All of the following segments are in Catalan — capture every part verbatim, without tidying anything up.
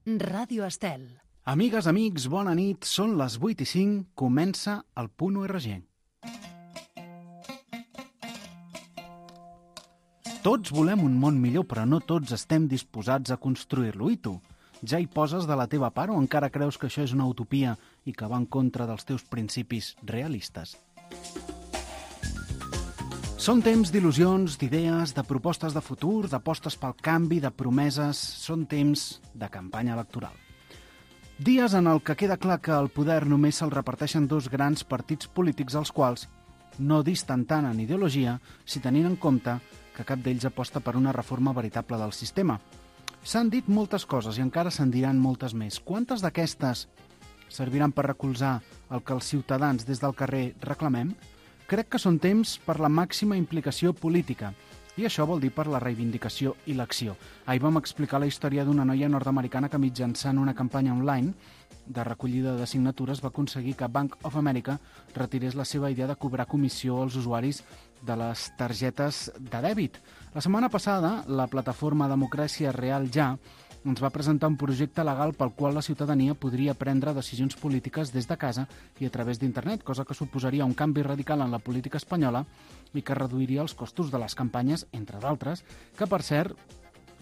Ràdio Estel. Amigues, amics, bona nit. Són les vuit i cinc. Comença el Punt U R G. Tots volem un món millor, però no tots estem disposats a construir-lo. I tu? Ja hi poses de la teva part o encara creus que això és una utopia i que va en contra dels teus principis realistes? Són temps d'il·lusions, d'idees, de propostes de futur, d'apostes pel canvi, de promeses. Són temps de campanya electoral. Dies en el que queda clar que el poder només se'l reparteixen dos grans partits polítics als quals no disten tant en ideologia si tenint en compte que cap d'ells aposta per una reforma veritable del sistema. S'han dit moltes coses i encara se'n diran moltes més. Quantes d'aquestes serviran per recolzar el que els ciutadans des del carrer reclamem? Crec que són temps per la màxima implicació política. I això vol dir per la reivindicació i l'acció. Ahir vam explicar la història d'una noia nord-americana que mitjançant una campanya online de recollida de signatures va aconseguir que Bank of America retirés la seva idea de cobrar comissió als usuaris de les targetes de dèbit. La setmana passada, la plataforma Democràcia Real Ja ens va presentar un projecte legal pel qual la ciutadania podria prendre decisions polítiques des de casa i a través d'internet, cosa que suposaria un canvi radical en la política espanyola i que reduiria els costos de les campanyes, entre d'altres, que, per cert,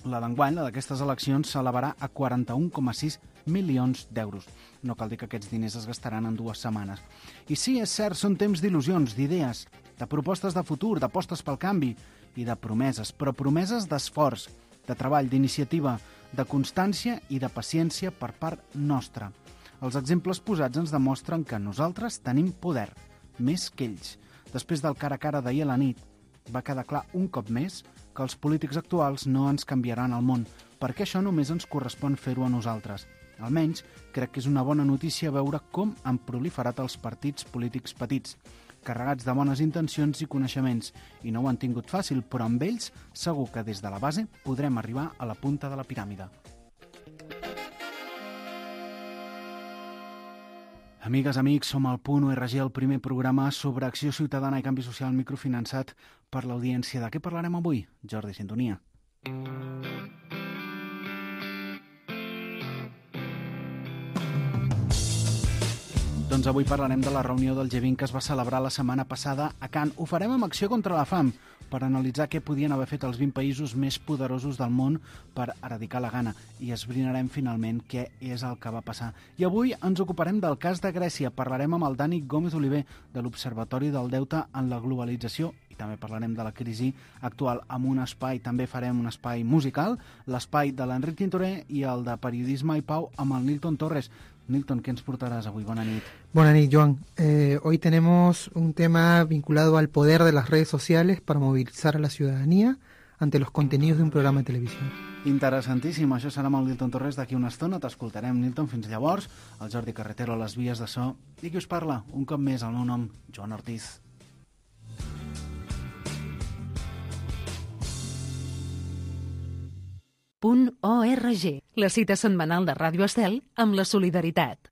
la d'enguany, la d'aquestes eleccions, s'elevarà a quaranta-un coma sis milions d'euros. No cal dir que aquests diners es gastaran en dues setmanes. I sí, és cert, són temps d'il·lusions, d'idees, de propostes de futur, d'apostes pel canvi i de promeses, però promeses d'esforç, de treball, d'iniciativa, de constància i de paciència per part nostra. Els exemples posats ens demostren que nosaltres tenim poder, més que ells. Després del cara a cara d'ahir a la nit, va quedar clar un cop més que els polítics actuals no ens canviaran el món, perquè això només ens correspon fer-ho a nosaltres. Almenys, crec que és una bona notícia veure com han proliferat els partits polítics petits, carregats de bones intencions i coneixements, i no ho han tingut fàcil, però amb ells segur que des de la base podrem arribar a la punta de la piràmide. Amigues, amics, som al Punt U R G, el primer programa sobre acció ciutadana i canvi social microfinançat per l'audiència. De què parlarem avui? Jordi, sintonia. Doncs avui parlarem de la reunió del G vint que es va celebrar la setmana passada a Cannes. Ho farem amb Acció contra la Fam, per analitzar què podien haver fet els vint països més poderosos del món per eradicar la gana, i esbrinarem finalment què és el que va passar. I avui ens ocuparem del cas de Grècia. Parlarem amb el Dani Gómez Oliver, de l'Observatori del Deute en la Globalització, i també parlarem de la crisi actual amb un espai, també farem un espai musical, l'espai de l'Enric Tintoré i el de Periodisme i Pau amb el Nilton Torres. Nilton, ¿qué nos portarás hoy? Buenas noches. Buenas noches, Joan. Eh, hoy tenemos un tema vinculado al poder de las redes sociales para movilizar a la ciudadanía ante los contenidos de un programa de televisió. Interessantíssim. Això serà amb el Nilton Torres d'aquí una estona. T'escoltarem, Nilton. Fins llavors, el Jordi Carretero a les vies de so. I qui us parla? Un cop més, el meu nom, Joan Ortiz. Punt O R G, la cita setmanal de Ràdio Estel amb la solidaritat.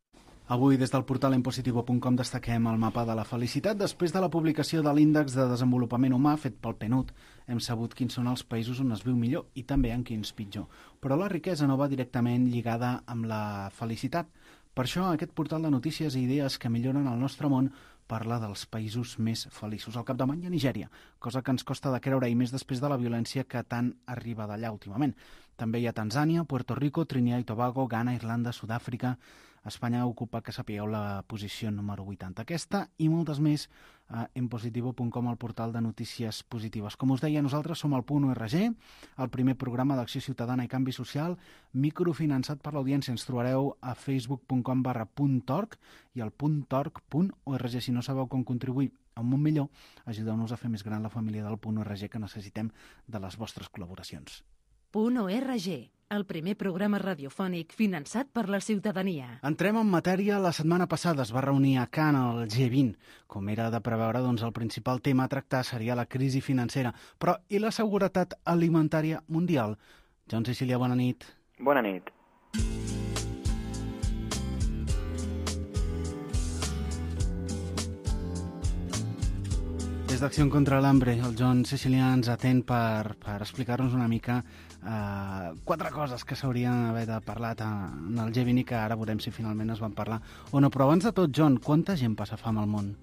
Avui, des del portal enpositivo punt com, destaquem el mapa de la felicitat. Després de la publicació de l'Índex de Desenvolupament Humà fet pel P N U D, hem sabut quins són els països on es viu millor i també en quins pitjor. Però la riquesa no va directament lligada amb la felicitat. Per això, aquest portal de notícies i idees que milloren el nostre món parla dels països més feliços. Al capdavant hi ha Nigèria, cosa que ens costa de creure, i més després de la violència que tant arriba d'allà últimament. També hi ha Tanzània, Puerto Rico, Trinidad i Tobago, Ghana, Irlanda, Sud-àfrica. Espanya ocupa, que sapigueu, la posició número vuitanta. Aquesta i moltes més a enpositivo punt com, el portal de notícies positives. Com us deia, nosaltres som el Punt U R G, el primer programa d'acció ciutadana i canvi social microfinançat per l'audiència. Ens trobareu a facebook punt com barra puntorg i al puntorg punt org. Si no sabeu com contribuir a un món millor, ajudeu-nos a fer més gran la família del Punt U R G, que necessitem de les vostres col·laboracions. Punt O R G, el primer programa radiofònic finançat per la ciutadania. Entrem en matèria. La setmana passada es va reunir a Cannes el G vint. Com era de preveure, doncs el principal tema a tractar seria la crisi financera. Però i la seguretat alimentària mundial? Joan Sicília, bona nit. Bona nit. Des d'Acció contra l'Hambre, el John Sicilià ens atén per, per explicar-nos una mica eh, quatre coses que s'haurien d'haver parlat en el G vint i que ara veurem si finalment es van parlar o no. Però abans de tot, John, quanta gent passa fam al món?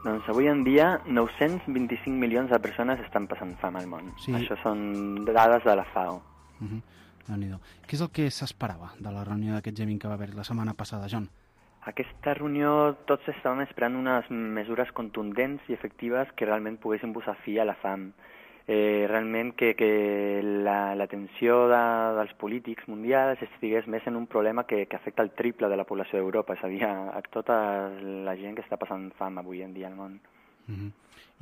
Doncs avui en dia nou-cents vint-i-cinc milions de persones estan passant fam al món. Sí. Això són dades de la FAO. Uh-huh. Déu-n'hi-do. Què és el que s'esperava de la reunió d'aquest G vint que va haver la setmana passada, John? Aquesta reunió tots estàvem esperant unes mesures contundents i efectives que realment poguessin posar fi a la fam. Eh, realment que, que la, l'atenció de, dels polítics mundials estigués més en un problema que, que afecta el triple de la població d'Europa, és a dir, a, a tota la gent que està passant fam avui en dia al món. Uh-huh.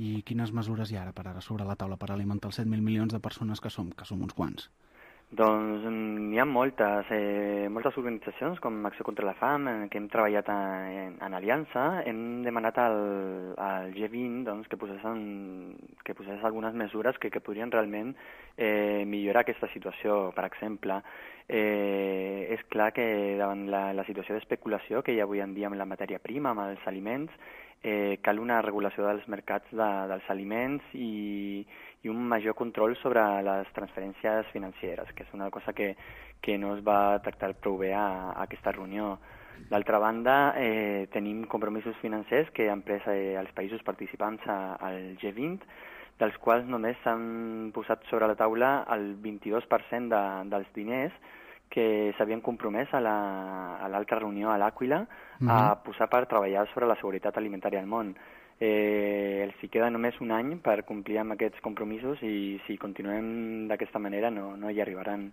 I quines mesures hi ha ara per ara sobre la taula per alimentar els set mil milions de persones que som, que som uns quants? Doncs n'hi ha moltes, eh, moltes organitzacions com Acció contra la Fam, eh, que hem treballat en, en aliança. Hem demanat al, al G vint doncs, que, posessin, que posés algunes mesures que, que podrien realment eh, millorar aquesta situació. Per exemple, eh, és clar que davant la, la situació d'especulació que hi ha avui en dia amb la matèria prima, amb els aliments, eh, cal una regulació dels mercats de, dels aliments i i un major control sobre les transferències financeres, que és una cosa que, que no es va tractar prou bé a, a aquesta reunió. D'altra banda, eh, tenim compromisos financers que han pres eh, els països participants a, al G vint, dels quals només s'han posat sobre la taula el vint-i-dos per cent de, dels diners que s'havien compromès a, la, a l'altra reunió a l'Àquila mm-hmm. a posar per treballar sobre la seguretat alimentària al món. Eh, els hi queda només un any per complir amb aquests compromisos i si continuem d'aquesta manera no, no hi arribaran.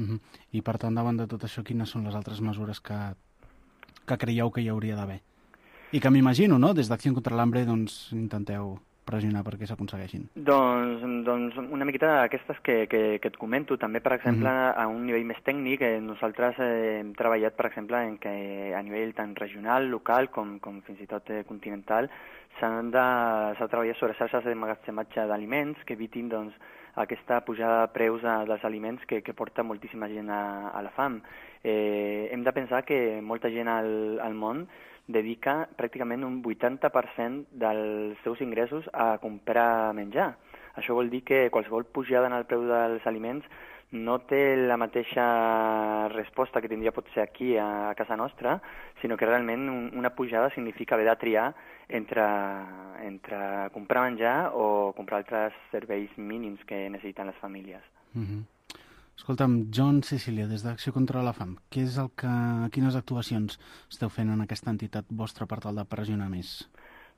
Uh-huh. I per tant, davant de tot això, quines són les altres mesures que, que creieu que hi hauria d'haver? I que m'imagino, no?, des d'Acció contra l'Hambre, doncs, intenteu pressionar perquè s'aconsegueixin. Doncs, doncs una miqueta d'aquestes que, que, que et comento. També, per exemple, uh-huh. a un nivell més tècnic, eh, nosaltres eh, hem treballat, per exemple, en que a nivell tant regional, local, com, com fins i tot eh, continental, s'han de, s'ha de treballar sobre xarxes d'emmagatzematge d'aliments que evitin doncs, aquesta pujada de preus de, dels aliments que, que porta moltíssima gent a, a la fam. Eh, hem de pensar que molta gent al, al món dedica pràcticament un vuitanta per cent dels seus ingressos a comprar menjar. Això vol dir que qualsevol pujada en el preu dels aliments no té la mateixa resposta que tindria potser aquí a, a casa nostra, sinó que realment un, una pujada significa haver de triar entre, entre comprar menjar o comprar altres serveis mínims que necessiten les famílies. Mm-hmm. Escolta'm, John Sicilià, des d'Acció contra la Fam, què és el que, quines actuacions esteu fent en aquesta entitat vostra per tal de pressionar més?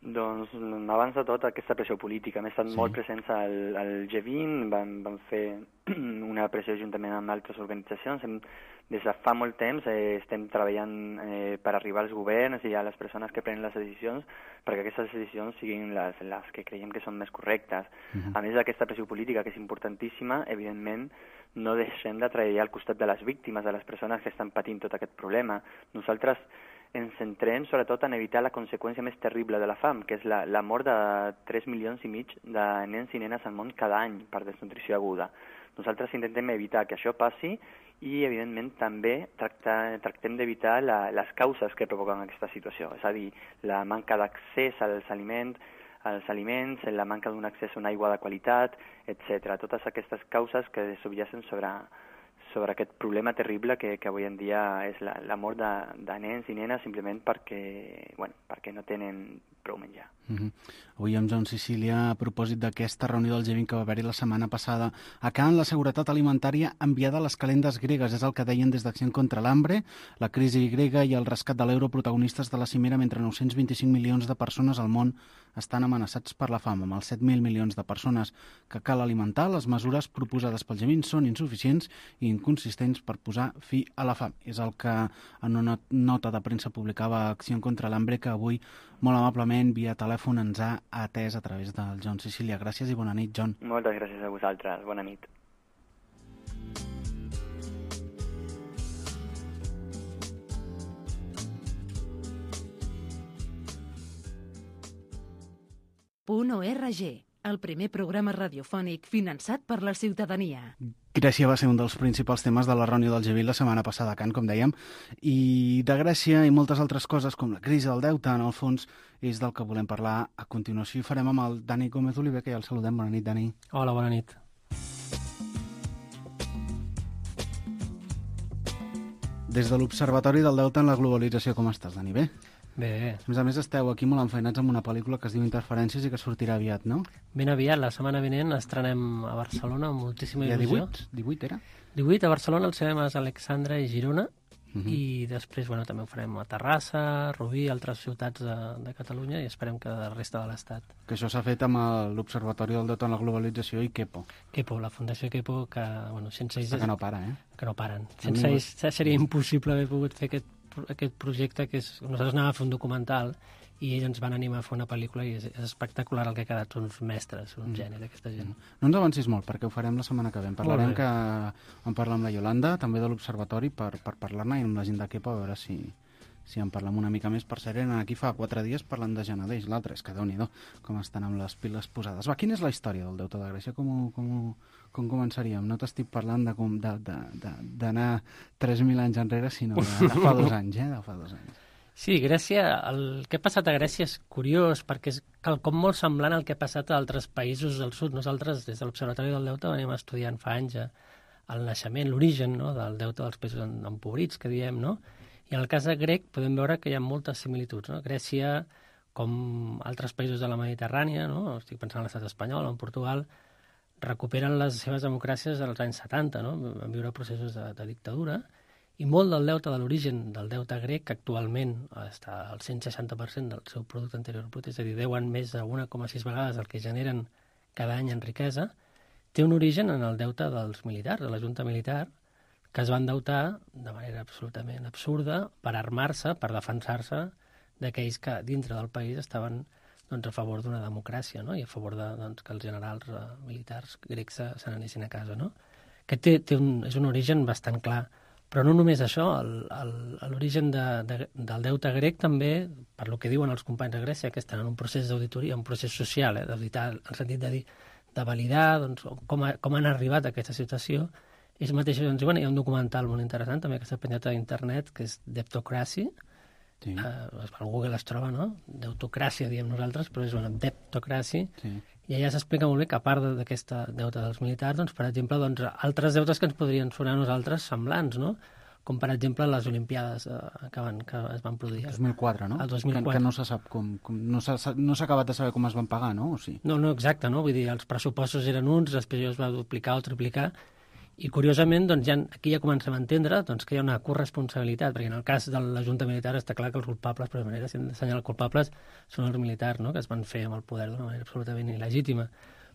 Doncs, abans de tot, aquesta pressió política. Hem estat sí. molt presents al, al G vint, vam, vam fer una pressió juntament amb altres organitzacions. Hem, des de fa molt temps eh, estem treballant eh, per arribar als governs i a les persones que prenen les decisions perquè aquestes decisions siguin les, les que creiem que són més correctes. Uh-huh. A més d'aquesta pressió política, que és importantíssima, evidentment, no deixem de treballar al costat de les víctimes, de les persones que estan patint tot aquest problema. Nosaltres ens centrem sobretot en evitar la conseqüència més terrible de la fam, que és la, la mort de tres milions i mig de nens i nenes al món cada any per desnutrició aguda. Nosaltres intentem evitar que això passi i, evidentment, també tractar, tractem d'evitar la, les causes que provoquen aquesta situació, és a dir, la manca d'accés als aliments, als aliments, la manca d'un accés a una aigua de qualitat, etcètera. Totes aquestes causes que subjacen sobre, sobre aquest problema terrible que, que avui en dia és la, la mort de, de nens i nenes simplement perquè, bueno, perquè no tenen prou menjar. Mm-hmm. Avui amb John Sicilià, a propòsit d'aquesta reunió del G vint que va haver-hi la setmana passada, acabant la seguretat alimentària enviada a les calendes gregues, és el que deien des d'Acció contra l'Hambre, la crisi grega i el rescat de l'euro protagonistes de la cimera, mentre nou-cents vint-i-cinc milions de persones al món estan amenaçats per la fam, amb els set mil milions de persones que cal alimentar. Les mesures proposades pel G vint són insuficients i inconsistents per posar fi a la fam. És el que en una nota de premsa publicava Acció contra l'Hambre, que avui molt amablement via telèfon ens ha atès a través del John Sicilià. Gràcies i bona nit, John. Moltes gràcies a vosaltres. Bona nit. Punt org. el primer programa radiofònic finançat per la ciutadania. Grècia va ser un dels principals temes de la reunió del G vint la setmana passada a Can, com dèiem, i de Grècia i moltes altres coses, com la crisi del deute, en el fons, és del que volem parlar a continuació. I farem amb el Dani Gómez Oliver, que ja el saludem. Bona nit, Dani. Hola, bona nit. Des de l'Observatori del Deute en la Globalització, com estàs, Dani? Bé? Bé. A més a més, esteu aquí molt enfeinats amb una pel·lícula que es diu Interferències i que sortirà aviat, no? Ben aviat, la setmana vinent estrenem a Barcelona amb moltíssima il·lusió. Hi ha divuit? divuit era? divuit a Barcelona, als cinemes Alexandra i Girona, uh -huh. i després bueno, també ho farem a Terrassa, Rubí, altres ciutats de, de Catalunya, i esperem que de la resta de l'Estat. Que això s'ha fet amb l'Observatori del Deute en la Globalització i Kepo. Kepo, la Fundació Kepo, que bueno, sense ells... Que no para, eh? Que no paren. Sense ells seria impossible haver pogut fer aquest aquest projecte que és... Nosaltres anàvem a fer un documental i ells ens van animar a fer una pel·lícula i és, és espectacular el que ha quedat. Són uns mestres, un mm. geni d'aquesta gent. Mm. No ens avancis molt, perquè ho farem la setmana que ve. En parlarem que... En parlar amb la Iolanda, també de l'Observatori, per, per parlar-ne, i amb la gent de Kepo, a veure si, si en parlem una mica més. Per cert, eren aquí fa quatre dies parlant de Genadeix, l'altre, és que Déu-n'hi-do, com estan amb les piles posades. Va, quina és la història del deute de Grècia? Com, com, com començaríem? No t'estic parlant d'anar tres mil anys enrere, sinó de, de fa dos anys, eh? De fa dos anys. Sí, Grècia, el que ha passat a Grècia és curiós, perquè és quelcom molt semblant al que ha passat a altres països del sud. Nosaltres, des de l'Observatori del Deute, venim estudiant fa anys el naixement, l'origen, no?, del deute dels països empobrits, que diem, no? I en el cas de grec podem veure que hi ha moltes similituds, no? Grècia, com altres països de la Mediterrània, no?, estic pensant en l'estat espanyol o en Portugal, recuperen les seves democràcies als anys setanta, no? Van viure processos de, de dictadura, i molt del deute, de l'origen del deute grec, que actualment està al cent seixanta per cent del seu producte interior brut, és a dir, deuen més de un coma sis vegades el que generen cada any en riquesa, té un origen en el deute dels militars, de la junta militar, que es van endeutar de manera absolutament absurda per armar-se, per defensar-se d'aquells que dintre del país estaven doncs, a favor d'una democràcia, no?, i a favor de, doncs, que els generals eh, militars grecs se, se n'anessin a casa, no? Que té, té un, és un origen bastant clar. Però no només això, l'origen de, de, del deute grec també, per lo que diuen els companys de Grècia, que estan en un procés d'auditoria, un procés social, eh, d'auditar, en el sentit de dir, de validar doncs, com, ha, com han arribat a aquesta situació. Ells mateixos ens diuen, hi ha un documental molt interessant també que s'ha penjat a internet, que és Debtocracy. Sí. Uh, al Google es troba, no? Deutocràcia, diem nosaltres, però és una Debtocracy. Sí. I allà s'explica molt bé que a part d'aquesta deuta dels militars, doncs, per exemple, doncs, altres deutes que ens podrien sonar a nosaltres semblants, no? Com, per exemple, les Olimpiades eh, que, van, que es van produir. El dos mil quatre, no? El dos mil quatre. Que, que no se sap com... com no s'ha no acabat de saber com es van pagar, no? O sí? No, no, exacte, no? Vull dir, els pressupostos eren uns, després es va duplicar o triplicar, i curiosament, doncs, ja, aquí ja comencem a entendre doncs, que hi ha una corresponsabilitat, perquè en el cas de la Junta Militar està clar que els culpables, per manera, si hem d'assenyalar culpables, són els militars, no?, que es van fer amb el poder d'una manera absolutament il·legítima.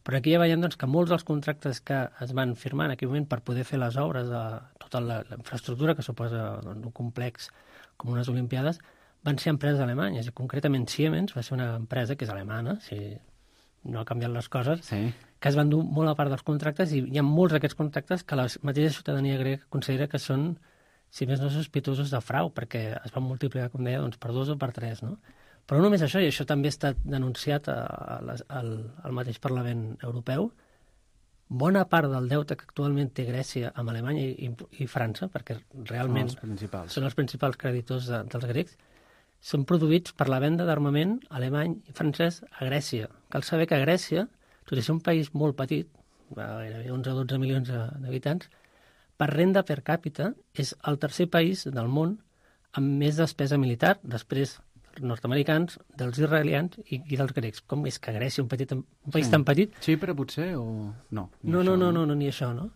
Però aquí ja veiem doncs, que molts dels contractes que es van firmar en aquell moment per poder fer les obres de tota la, la infraestructura que suposa doncs, un complex com unes Olimpiades van ser empreses alemanyes, i concretament Siemens va ser una empresa que és alemana, si no ha canviat les coses, sí, que es van dur molt a part dels contractes, i hi ha molts d'aquests contractes que la mateixa ciutadania grega considera que són, si més no, sospitosos de frau, perquè es van multiplicar, com deia, doncs, per dos o per tres, no? Però no només això, i això també ha estat denunciat a, a les, al, al mateix Parlament Europeu, bona part del deute que actualment té Grècia amb Alemanya i, i, i França, perquè realment són els principals, són els principals creditors de, dels grecs, són produïts per la venda d'armament alemany i francès a Grècia. Cal saber que Grècia, tot i ser un país molt petit, gairebé onze o dotze milions d'habitants, per renda per càpita és el tercer país del món amb més despesa militar, després dels nord-americans, dels israelians i, i dels grecs. Com és que Grècia, un, petit, un país sí. tan petit... Xipre potser o... No, no, no, no, no, no, ni això, no?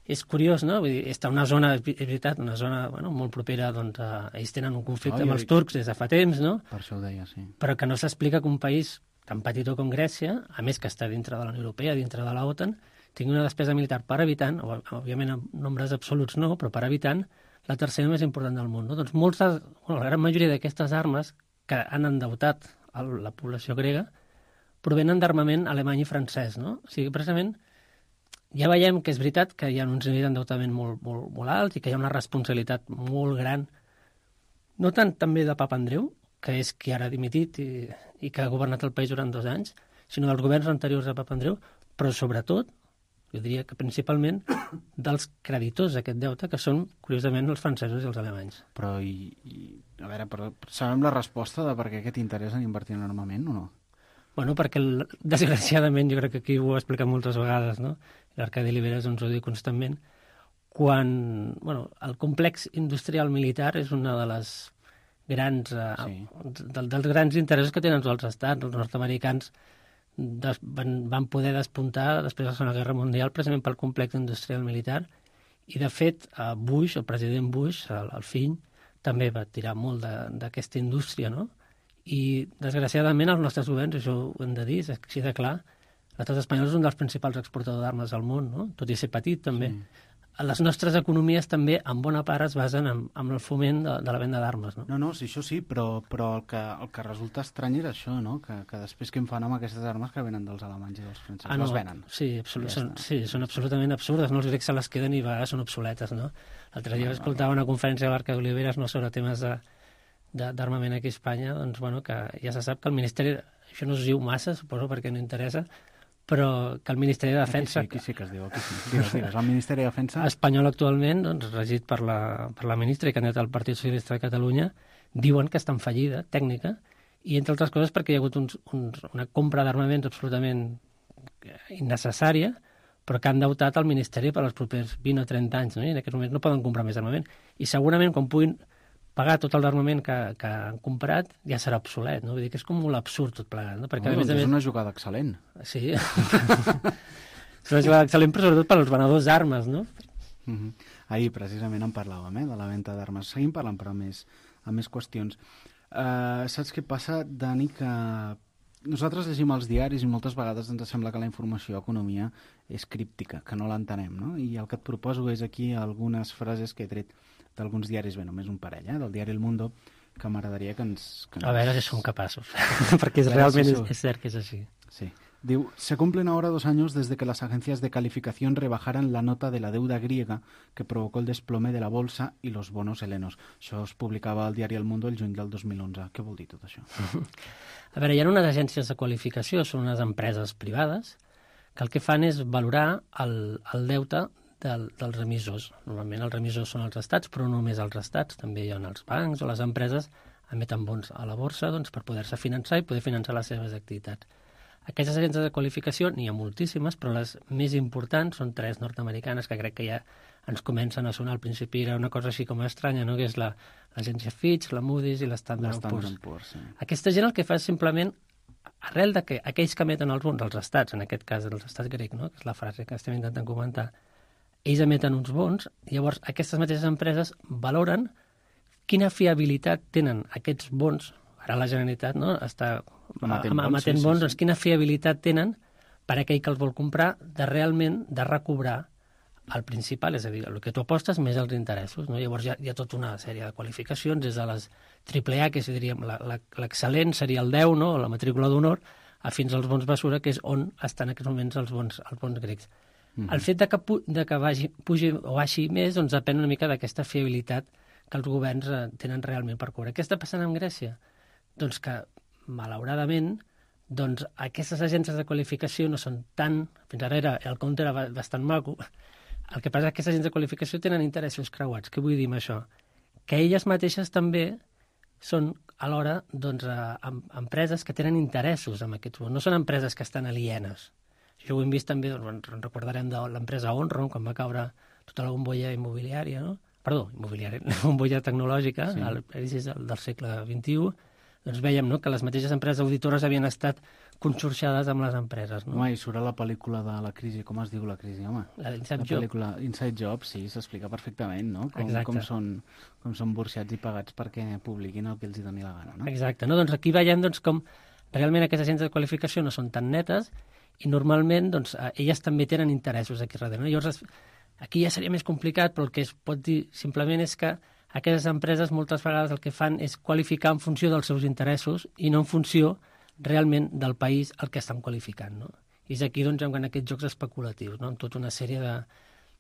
És curiós, no? Vull dir, està una zona, és veritat, una zona bueno, molt propera, doncs, a... ells tenen un conflicte oh, amb els turcs des de fa temps, no? Per això ho deia, sí. Però que no s'explica que un país tan petitó com Grècia, a més que està dintre de la Unió Europea, dintre de l'OTAN, tingui una despesa militar per habitant, o, òbviament en nombres absoluts no, però per habitant, la tercera més important del món. No? Doncs molts de, bueno, la gran majoria d'aquestes armes que han endeutat el, la població grega provenen d'armament alemany i francès. No? O sigui, precisament, ja veiem que és veritat que hi ha uns nivells d'endeutament molt, molt, molt alts i que hi ha una responsabilitat molt gran, no tant també de Papa Andreu, que és qui ara ha dimitit i, i que ha governat el país durant dos anys, sinó dels governs anteriors a Papandreou, però sobretot, jo diria que principalment, dels creditors d'aquest deute, que són, curiosament, els francesos i els alemanys. Però, i, i a veure, però, sabem la resposta de per què aquest interès en invertir en armament o no? Bueno, perquè, desgraciadament, jo crec que aquí ho he explicat moltes vegades, no? L'Arcadi Oliveres ens ho diu constantment, quan, bueno, el complex industrial militar és una de les grans, eh, sí. de, dels grans interessos que tenen els estats. Els nord-americans des, van, van poder despuntar després de la Segona Guerra Mundial precisament pel complex industrial militar, i de fet Bush, el president Bush, el, el fill, també va tirar molt d'aquesta indústria, no? I, desgraciadament, els nostres governs, això ho hem de dir, és així de clar, l'estat espanyol és un dels principals exportadors d'armes al món, no? Tot i ser petit, també. Sí. Les nostres economies també, en bona part, es basen en, en el foment de, de la venda d'armes, no? No, no, sí, això sí, però, però el, que, el que resulta estrany és això, no? Que, que després què en fan amb aquestes armes que venen dels alemanys i dels francesos? Ah, no, les venen. Sí, absolut, ja són, sí, són absolutament absurdes, no? Els grecs se les queden i a vegades són obsoletes, no? L'altre dia escoltava una conferència de l'Arcadi Oliveres, no, sobre temes de d'armament aquí a Espanya, doncs, bueno, que ja se sap que el Ministeri, això no es diu massa, suposo, perquè no interessa, però que el Ministeri de Defensa... Aquí sí, aquí sí que es diu, aquí sí. Digues, digues, el Ministeri de Defensa... Espanyol actualment, doncs, regit per la, per la ministra i candidata al Partit Socialista de Catalunya, diuen que està en fallida tècnica, i entre altres coses perquè hi ha hagut uns, uns, una compra d'armaments absolutament innecessària, però que han deutat el Ministeri per als propers vint o trenta anys, no? I en aquests moments no poden comprar més armament. I segurament, quan puguin pagar tot l'armament que, que han comprat, ja serà obsolet, no? Vull dir que és com molt absurd tot plegat, no? Perquè, oh, a més, doncs a més... és una jugada excel·lent. Sí. És una jugada excel·lent, però sobretot per als venedors d'armes, no? Uh-huh. Ahir, precisament, en parlàvem, eh, de la venda d'armes. Seguim parlant, però, a més, a més qüestions. Uh, saps què passa, Dani, que nosaltres llegim els diaris i moltes vegades ens sembla que la informació d'economia és críptica, que no l'entenem, no? I el que et proposo és aquí algunes frases que he tret d'alguns diaris, bé, només un parell, eh, del diari El Mundo, que m'agradaria que ens... Que ens... A veure si som capaços, perquè és, realment si es, es cert que és així. Sí. Diu, se cumplen ahora dos años desde que las agencias de calificación rebajaran la nota de la deuda griega que provocó el desplome de la bolsa y los bonos helenos. Això es publicava al diari El Mundo el juny del dos mil onze. Què vol dir tot això? A veure, hi ha unes agències de qualificació, són unes empreses privades, que el que fan és valorar el, el deute del, dels emissors. Normalment els emissors són els estats, però no només els estats, també hi ha els bancs o les empreses emeten bons a la borsa, doncs, per poder-se finançar i poder finançar les seves activitats. Aquestes agències de qualificació n'hi ha moltíssimes, però les més importants són tres nord-americanes que crec que ja ens comencen a sonar. Al principi era una cosa així com estranya, no? Que és la, l'agència Fitch, la Moody's i l'Standard and Poor's. Poor's sí. Aquesta gent el que fa és simplement, arrel de que aquells que emeten els bons, els estats, en aquest cas els estats grecs, no? Que és la frase que estem intentant comentar, ells emeten uns bons, llavors aquestes mateixes empreses valoren quina fiabilitat tenen aquests bons. Ara la Generalitat, no?, està emetent bons, emetent bons, sí, sí, doncs quina fiabilitat tenen per aquell que els vol comprar de realment de recobrar el principal, és a dir, el que tu apostes més els interessos, no? Llavors hi ha, hi ha tota una sèrie de qualificacions, des de les triple A, que és, diríem, l'excel·lent seria el deu, no?, la matrícula d'honor, a fins als bons basura, que és on estan en aquests moments els bons, els bons grecs. Mm-hmm. El fet de que, pu de que vagi, pugi o baixi més, doncs depèn una mica d'aquesta fiabilitat que els governs eh, tenen realment per cobrar. Què està passant amb Grècia? Doncs que, malauradament, doncs aquestes agències de qualificació no són tan... Fins ara era, el compte era bastant maco. El que passa és que aquestes agències de qualificació tenen interessos creuats. Què vull dir amb això? Que elles mateixes també són, alhora, doncs, eh, empreses que tenen interessos amb aquests bons. No són empreses que estan alienes. Això ho hem vist també, doncs, recordarem de l'empresa Onron, quan va caure tota la bombolla immobiliària, no? Perdó, immobiliària, la bombolla tecnològica, sí. Al inici del, del segle vint-i-u, doncs vèiem, no?, que les mateixes empreses auditores havien estat consorciades amb les empreses, no? Home, i surt a la pel·lícula de la crisi, com es diu la crisi, home? La d'Inside Job. La pel·lícula Inside Job, sí, s'explica perfectament, no? Com, com, són, com són burxats i pagats perquè publiquin el que els hi doni la gana, no? Exacte, no? Doncs aquí veiem doncs, com realment aquestes agències de qualificació no són tan netes i normalment doncs, elles també tenen interessos aquí darrere, no? Llavors, aquí ja seria més complicat, però el que es pot dir simplement és que aquestes empreses moltes vegades el que fan és qualificar en funció dels seus interessos i no en funció realment del país al que estan qualificant, no? I és aquí doncs, en aquests jocs especulatius, no?, amb tota una sèrie de,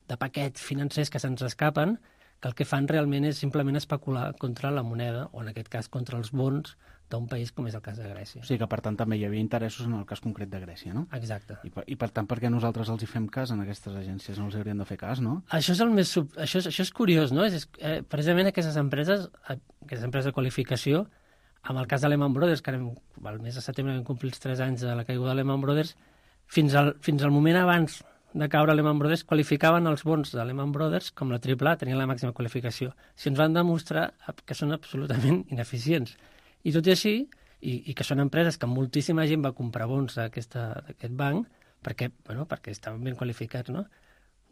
de paquets financers que se'ns escapen, que el que fan realment és simplement especular contra la moneda, o en aquest cas contra els bons d'un país com és el cas de Grècia. O sigui que, per tant, també hi havia interessos en el cas concret de Grècia, no? Exacte. I per, i per tant, per què nosaltres els hi fem cas en aquestes agències? No els hauríem de fer cas, no? Això és el més sub... això, és, això és curiós, no? És, és, eh, precisament aquestes empreses, aquestes empreses de qualificació, amb el cas de Lehman Brothers, que ara, el mes de setembre vam complir els tres anys de la caiguda de Lehman Brothers, fins al, fins al moment abans de caure Lehman Brothers, qualificaven els bons de Lehman Brothers com la triple A, tenien la màxima qualificació. Si ens van demostrar que són absolutament ineficients. I tot i així, i, i que són empreses que moltíssima gent va comprar bons d'aquest banc, perquè, bueno, perquè estaven ben qualificats, no?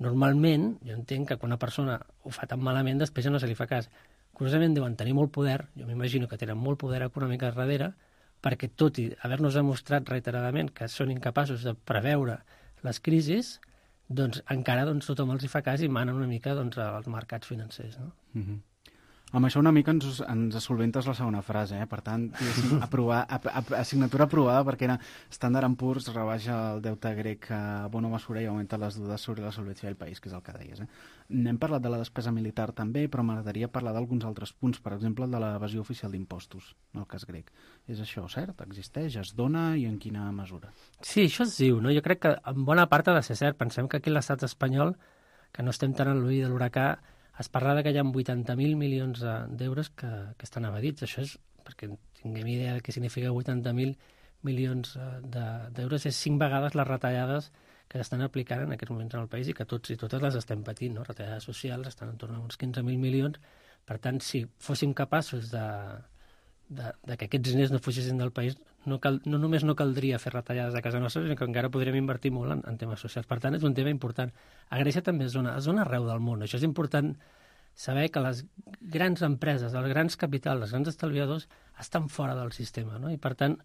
Normalment, jo entenc que quan una persona ho fa tan malament, després ja no se li fa cas. Curiosament, deuen tenir molt poder, jo m'imagino que tenen molt poder econòmic a darrere, perquè tot i haver-nos demostrat reiteradament que són incapaços de preveure les crisis, doncs encara doncs, tothom els hi fa cas i manen una mica doncs, als mercats financers. No? Mm-hmm. Amb això una mica ens, ens solventes la segona frase, eh? Per tant, aprovar, a, a, assignatura aprovada perquè era Standard and Poor's rebaixa el deute grec a bona mesura i augmenta les dudes sobre la solvència del país, que és el que deies. Eh? N'hem parlat de la despesa militar també, però m'agradaria parlar d'alguns altres punts, per exemple, el de l'evasió oficial d'impostos, en el cas grec. És això cert? Existeix? Es dona? I en quina mesura? Sí, això es diu, no? Jo crec que en bona part ha de ser cert. Pensem que aquí a l'estat espanyol, que no estem tan en l'ull de l'huracà, es parla que hi ha vuitanta mil milions d'euros que, que estan evadits. Això és, perquè tinguem idea de què significa vuitanta mil milions d'euros, és cinc vegades les retallades que s'estan aplicant en aquests moments en el país i que tots i totes les estem patint, no? Retallades socials estan en torn a uns quinze mil milions. Per tant, si fóssim capaços de, de, de que aquests diners no fugissin del país, no, cal, no només no caldria fer retallades a casa nostra, sinó que encara podríem invertir molt en, en temes socials. Per tant, és un tema important. A Grècia també és zona, és zona arreu del món. Això és important saber que les grans empreses, els grans capitals, els grans estalviadors estan fora del sistema, no? I per tant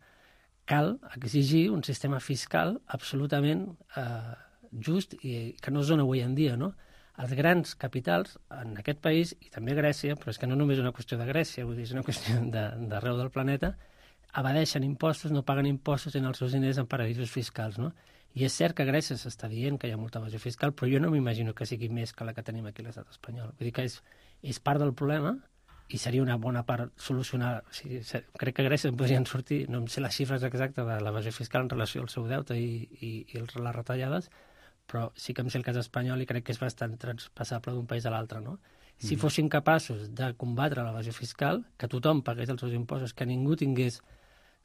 cal exigir un sistema fiscal absolutament eh, just i que no es dona avui en dia, no? Els grans capitals en aquest país, i també a Grècia, però és que no només és una qüestió de Grècia, vull dir, és una qüestió d'arreu del planeta, evadeixen impostos, no paguen impostos en els seus diners en paradisos fiscals, no? I és cert que a Grècia s'està dient que hi ha molta evasió fiscal, però jo no m'imagino que sigui més que la que tenim aquí a l'estat espanyol. Vull dir que és, és part del problema i seria una bona part solucionar. O sigui, crec que a Grècia en podrien sortir, no em sé les xifres exactes de l'evasió fiscal en relació al seu deute i, i, i les retallades, però sí que em sé el cas espanyol i crec que és bastant transpassable d'un país a l'altre, no? Si mm. fossin capaços de combatre l'evasió fiscal, que tothom pagués els seus impostos, que ningú tingués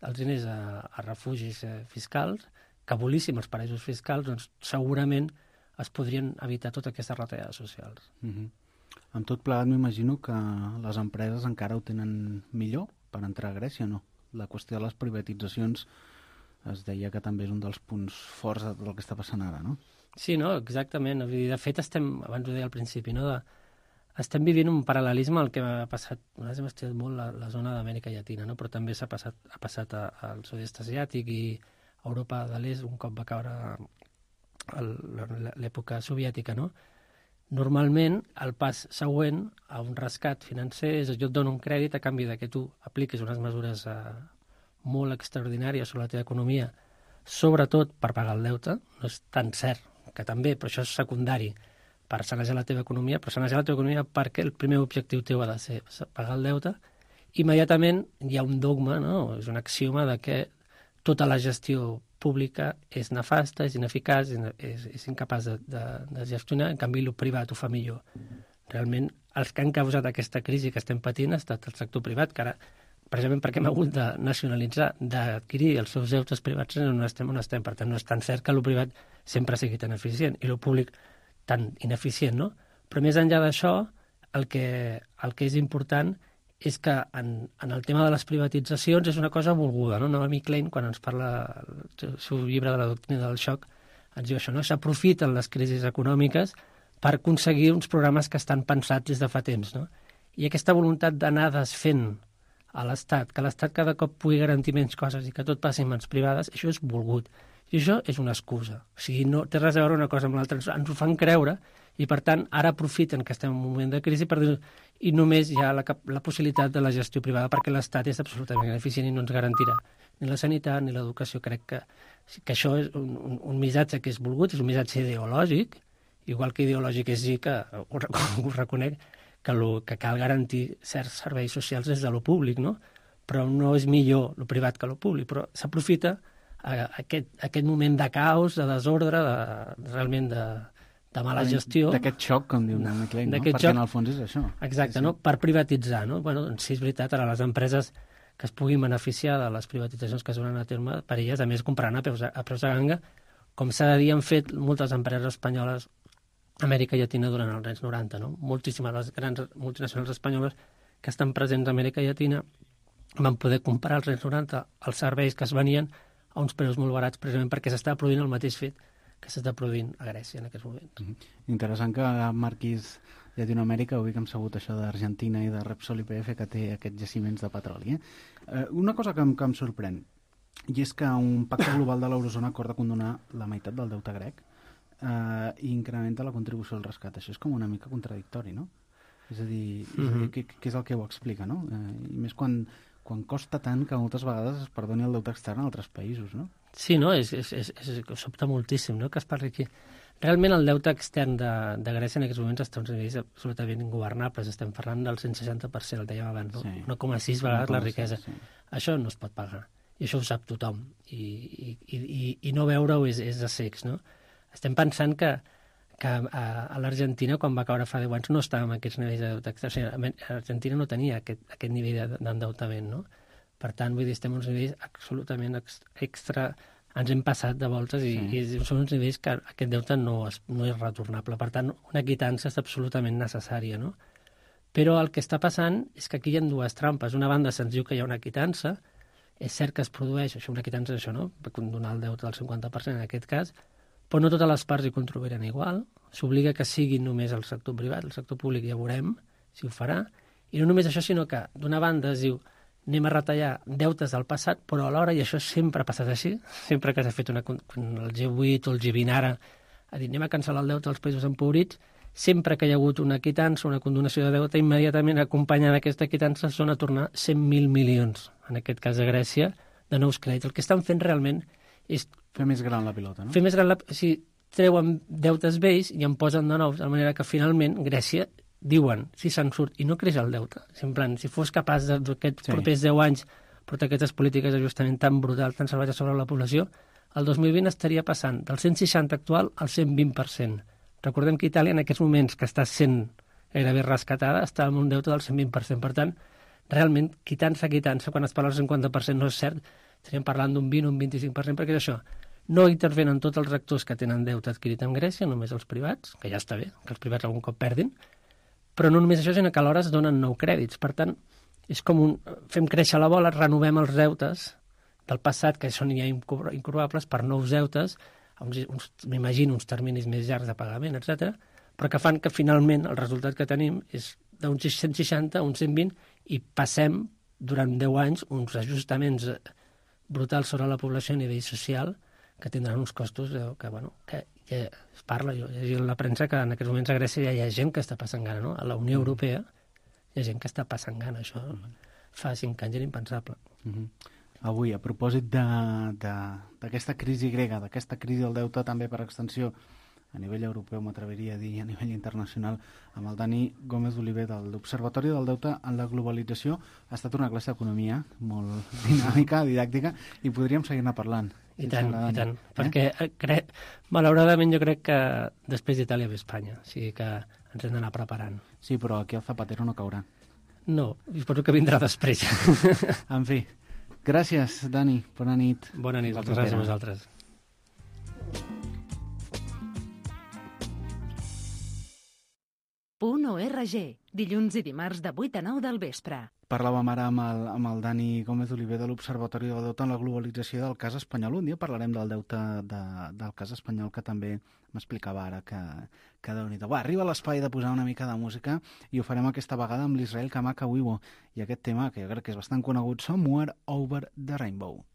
els diners a, a refugis eh, fiscals, que abolíssim els paradisos fiscals, doncs segurament es podrien evitar totes aquestes retallades socials. Mm-hmm. Amb tot plegat m'imagino que les empreses encara ho tenen millor per entrar a Grècia, no? La qüestió de les privatitzacions es deia que també és un dels punts forts del que està passant ara, no? Sí, no, exactament. De fet, estem, abans ho deia al principi, no? De, estem vivint un paral·lelisme al que ha passat, nosaltres hem estudiat molt la, la zona d'Amèrica Llatina, no? Però també s'ha passat, ha passat a, al sud-est asiàtic i Europa de l'Est, un cop va caure l'època soviètica, no? Normalment, el pas següent a un rescat financer és jo et dono un crèdit a canvi de que tu apliquis unes mesures eh, molt extraordinàries sobre la teva economia, sobretot per pagar el deute. No és tan cert que també, però això és secundari, per sanejar la teva economia, però sanejar la teva economia perquè el primer objectiu teu ha de ser pagar el deute. Immediatament hi ha un dogma, no? És un axioma de que tota la gestió pública és nefasta, és ineficaç, és, és incapaç de, de, de gestionar, en canvi el privat ho fa millor. Realment, els que han causat aquesta crisi que estem patint ha estat el sector privat, que ara, precisament perquè hem hagut de nacionalitzar, d'adquirir els seus deutes privats, on estem on estem. Per tant, no és tan cert que el privat sempre sigui tan eficient i el públic tan ineficient, no? Però més enllà d'això, el que, el que és important és que en, en el tema de les privatitzacions és una cosa volguda, no? Naomi Klein, quan ens parla el seu llibre de la doctrina del xoc, ens diu això, no? S'aprofiten les crisis econòmiques per aconseguir uns programes que estan pensats des de fa temps, no? I aquesta voluntat d'anar desfent a l'Estat, que l'Estat cada cop pugui garantir menys coses i que tot passi en mans privades, això és volgut. I això és una excusa. O sigui, no té res a veure una cosa amb l'altra. Ens ho fan creure i, per tant, ara aprofiten que estem en un moment de crisi per dir i només hi ha la, la possibilitat de la gestió privada perquè l'Estat és absolutament ineficient i no ens garantirà ni la sanitat ni l'educació. Crec que, que això és un, un, un missatge que és volgut, és un missatge ideològic, igual que ideològic és dir que, ho, ho reconec, que, lo, que cal garantir certs serveis socials des de lo públic, no? Però no és millor lo privat que lo públic, però s'aprofita aquest, aquest moment de caos, de desordre, de, realment de, de mala gestió. D'aquest xoc, com diu Naomi Klein, no? Perquè xoc, en el fons és això. Exacte, sí, sí. No? Per privatitzar, no? Bueno, doncs sí, és veritat, ara les empreses que es puguin beneficiar de les privatitzacions que es donen a terme, per elles, a més, compraran a preus, a preus de ganga, com s'ha de dir, han fet moltes empreses espanyoles a Amèrica Llatina durant els anys noranta, no? Moltíssimes les grans multinacionals espanyoles que estan presents a Amèrica Llatina van poder comprar als anys noranta els serveis que es venien a uns preus molt barats, precisament perquè s'està produint el mateix fet que s'està produint a Grècia en aquests moments. Mm-hmm. Interessant que marquis Llatinoamèrica, avui que hem sabut això d'Argentina i de Repsol I P F, que té aquests jaciments de petroli. Eh? Eh, una cosa que em, que em sorprèn, i és que un pacte global de l'eurozona acorda condonar la meitat del deute grec eh, i incrementa la contribució al rescat. Això és com una mica contradictori, no? És a dir, mm-hmm. què, què és el que ho explica, no? Eh, I més quan, quan costa tant que moltes vegades es perdoni el deute extern a altres països, no? Sí, no? És, és, és, és, sobta moltíssim, no?, que es parli aquí. Realment el deute extern de, de Grècia en aquests moments està a uns nivells absolutament ingovernables. Estem parlant del cent seixanta per cent, el dèiem abans, no? Sí. un coma sis vegades la riquesa. Sí. Això no es pot pagar. I això ho sap tothom. I, i, i, i no veure-ho és, és de cecs, no? Estem pensant que, que a, a l'Argentina, quan va caure fa deu anys, no estava en aquests nivells de deute extern. O sigui, l'Argentina no tenia aquest, aquest nivell d'endeutament, no? Per tant, vull dir, estem a uns nivells absolutament extra... Ens hem passat de voltes i, sí. i són uns nivells que aquest deute no és, no és retornable. Per tant, una quitança és absolutament necessària, no? Però el que està passant és que aquí hi ha dues trampes. Una banda se'ns diu que hi ha una quitança, és cert que es produeix, això una quitança és això, no?, per condonar el deute del cinquanta per cent en aquest cas, però no totes les parts hi contribuiran igual. S'obliga que sigui només el sector privat, el sector públic ja veurem si ho farà. I no només això, sinó que d'una banda es diu anem a retallar deutes del passat, però alhora, i això sempre ha passat així, sempre que s'ha fet una, el G vuit o el G vint ara, ha dit anem a cancel·lar el deute dels països empobrits, sempre que hi ha hagut una quitança, una condonació de deute, immediatament acompanyant aquesta quitança són a tornar cent mil milions, en aquest cas de Grècia, de nous crèdits. El que estan fent realment és... Fer més gran la pilota, no? Fer més gran la... Si treuen deutes vells i en posen de nous, de manera que finalment Grècia diuen, si se'n surt, i no creix el deute. En plan, si fos capaç d'aquests sí. propers deu anys portar aquestes polítiques d'ajustament tan brutal, tan salvatges sobre la població, el dos mil vint estaria passant del cent seixanta actual al cent vint per cent. Recordem que Itàlia, en aquests moments que està sent gairebé rescatada, està amb un deute del cent vint per cent. Per tant, realment, quitança, quitança, quan es parla del cinquanta per cent no és cert, estaríem parlant d'un vint o un vint-i-cinc per cent, perquè és això. No intervenen tots els actors que tenen deute adquirit en Grècia, només els privats, que ja està bé, que els privats algun cop perdin, però no només això, sinó que alhora es donen nou crèdits. Per tant, és com un... fem créixer la bola, renovem els deutes del passat, que són ja incurvables, per nous deutes, uns, uns, m'imagino uns terminis més llargs de pagament, etcètera, però que fan que finalment el resultat que tenim és d'uns cent seixanta a uns cent vint i passem durant deu anys uns ajustaments brutals sobre la població a nivell social que tindran uns costos que, bueno, que ja es parla, jo he llegit la premsa que en aquests moments a Grècia ja hi ha gent que està passant gana, no? A la Unió Europea hi ha gent que està passant gana, això fa cinc anys era impensable. Mm-hmm. Avui, a propòsit d'aquesta crisi grega, d'aquesta crisi del deute també per extensió a nivell europeu, m'atreviria a dir, a nivell internacional, amb el Dani Gómez Oliver de l'Observatori del Deute en la Globalització. Ha estat una classe d'economia molt dinàmica, didàctica, i podríem seguir-ne parlant. I tant, i tant, eh? Perquè crec, malauradament jo crec que després d'Itàlia ve Espanya, o sigui que ens hem d'anar preparant. Sí, però aquí el Zapatero no caurà. No, suposo que vindrà després. En fi, gràcies, Dani, bona nit. Bona nit, moltes gràcies a vosaltres. Punt org, dilluns i dimarts de vuit a nou del vespre. Parlàvem ara amb el, amb el Dani Gómez Oliver de l'Observatori del Deute en la Globalització del cas espanyol. Un dia parlarem del deute de, del cas espanyol, que també m'explicava ara que, que Déu-n'hi-do. Va, arriba l'espai de posar una mica de música i ho farem aquesta vegada amb l'Israel Kamaka Wiwo i aquest tema que jo crec que és bastant conegut, Somewhere Over the Rainbow.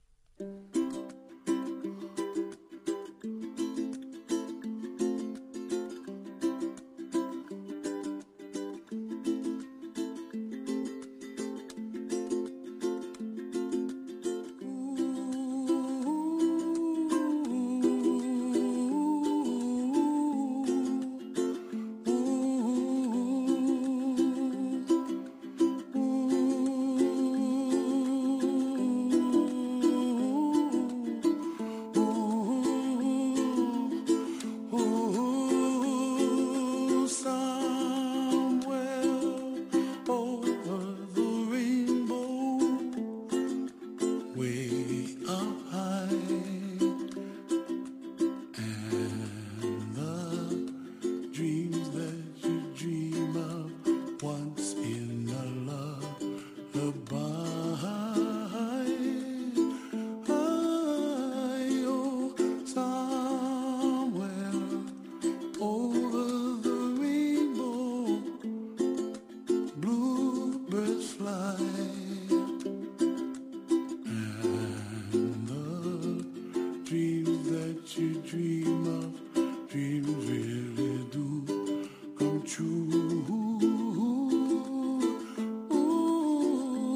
fly. And the dreams that you dream of, dreams really do come true. Ooh,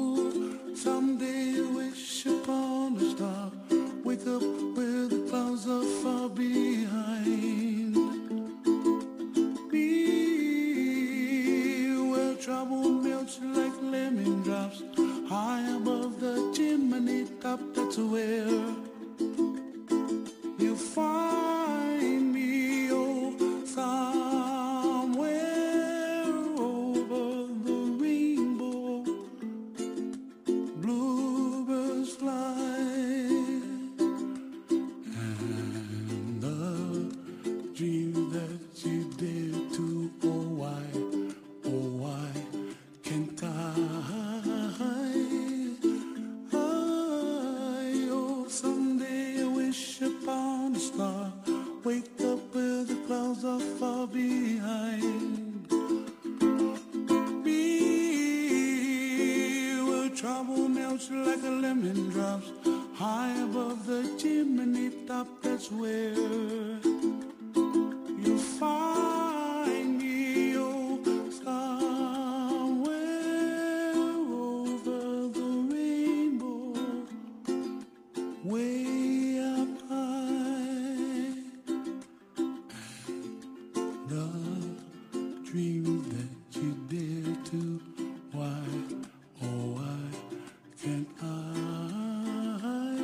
someday you wish upon a star, wake up where the clouds are far behind. Be where trouble melts like lemon drops, high above the chimney top. That's where you find me, oh, somewhere over the rainbow. Bluebirds fly, and the dream that you dare to, oh why, oh why can't I? I, oh, someday I wish upon a star, wake up where the clouds are far behind. Be where trouble melts like a lemon drops, high above the chimney top. That's where you find me, oh, somewhere over the rainbow, way up high. And the dreams that you dare to, why, oh why can't I? I,